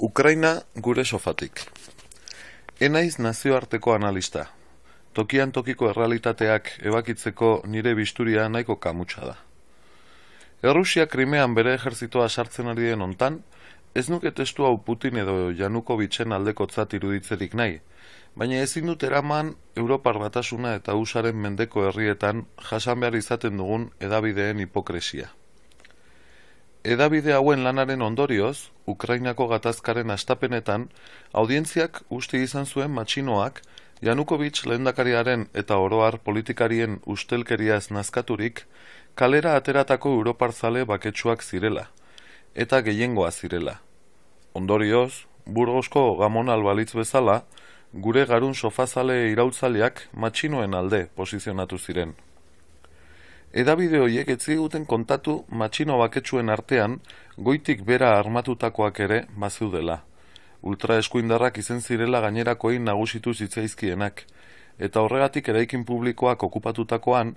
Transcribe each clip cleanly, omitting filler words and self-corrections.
Ukraina gure sofatik. Enaiz nazioarteko analista. Tokian tokiko errealitateak ebakitzeko nire bisturia nahiko kamutsa da. Errusia Krimean bere ejertzitoa sartzen ari den hontan, ez nuke testu hau Putin edo Janukovitzen aldekotzat iruditzerik nahi, baina ezin dut eraman Europar Batasuna eta USAren mendeko herrietan jasan behar izaten dugun hedabideen hipokresia. Hedabide hauen lanaren ondorioz, Ukrainako gatazkaren hastapenetan, audientziak uste izan zuen matxinoak, Janukovic lehendakariaren eta oroar politikarien ustelkeriaz nazkaturik, kalera ateratako europarzale baketsuak zirela, eta gehiengoa zirela. Ondorioz, Burgosko Gamon Albalitz bezala, gure garun sofazale irautzaleak matxinoen alde posizionatu ziren. Hedabide horiek ez ziguten kontatu matxino baketsuen artean goitik bera armatutakoak ere bazeudela. Ultraeskuindarrak izen zirela gainerakoei nagusitu zitzaizkienak, eta horregatik eraikin publikoak okupatutakoan,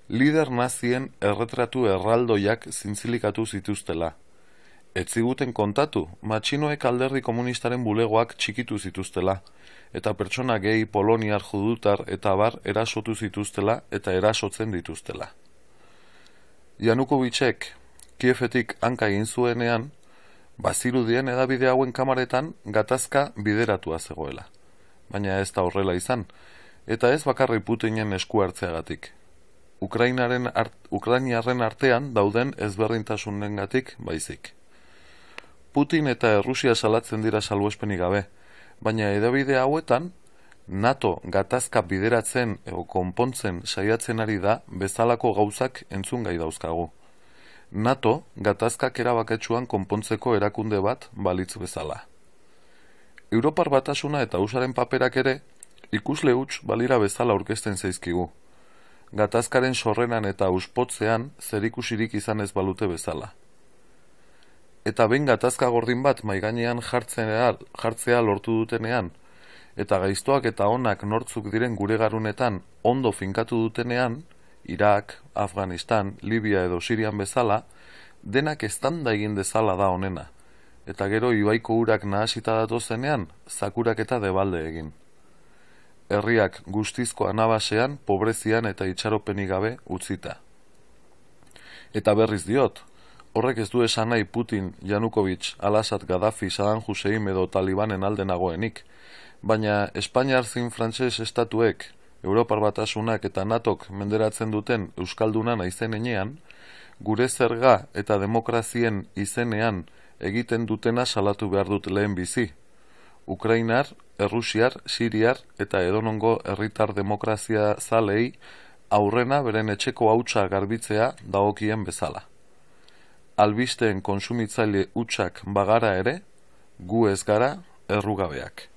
lider nazien erretratu erraldoiak zintzilikatu zituztela. Ez ziguten kontatu matxinoek alderdi komunistaren bulegoak txikitu zituztela, eta pertsona gehi, poloniar, judutar eta abar erasotu zituztela eta erasotzen dituztela. Janukovicek Kiefetik hanka egin zuenean, bazirudien hedabide hauen kamaretan gatazka bideratua zegoela. Baina ez da horrela izan, eta ez bakarri Putinen esku hartzeagatik. Ukrainiarren artean dauden ezberdintasunengatik baizik. Putin eta Errusia salatzen dira salbuespenik gabe, baina hedabide hauetan NATO gatazka bideratzen edo konpontzen saiatzen ari da bezalako gauzak entzungai dauzkagu. NATO gatazkak erabaketsuan konpontzeko erakunde bat balitz bezala. Europar Batasuna eta USAren paperak ere ikusle huts balira bezala aurkezten zaizkigu. Gatazkaren sorreran eta uspotzean zerikusirik izan ez balute bezala. Eta behin gatazka gordin bat maigainean jartzea lortu dutenean, eta gaiztoak eta onak nortzuk diren gure garunetan ondo finkatu dutenean, Irak, Afganistan, Libia edo Sirian bezala, denak eztanda egin dezala da honena, eta gero ibaiko urak nahasita datozenean, zakurak eta debalde egin. Herriak guztizko anabasean, pobrezian eta itxaropenik gabe utzita. Eta berriz diot, horrek ez du esan nahi Putin, Janukovic, Al-Assad, Gaddafi, Saddam Hussein edo Talibanen alde nagoenik, baina Espainiar zin frantses estatuek, Europar Batasunak eta NATOk menderatzen duten euskalduna naizen enean, gure zerga eta demokrazien izenean egiten dutena salatu behar dut lehen bizi. Ukrainar, Errusiar, Siriar eta edonongo herritar demokrazia zalei aurrena beren etxeko hautsa garbitzea dagokien bezala. Albisteen konsumitzaile hutsak bagara ere, gu ez gara errugabeak.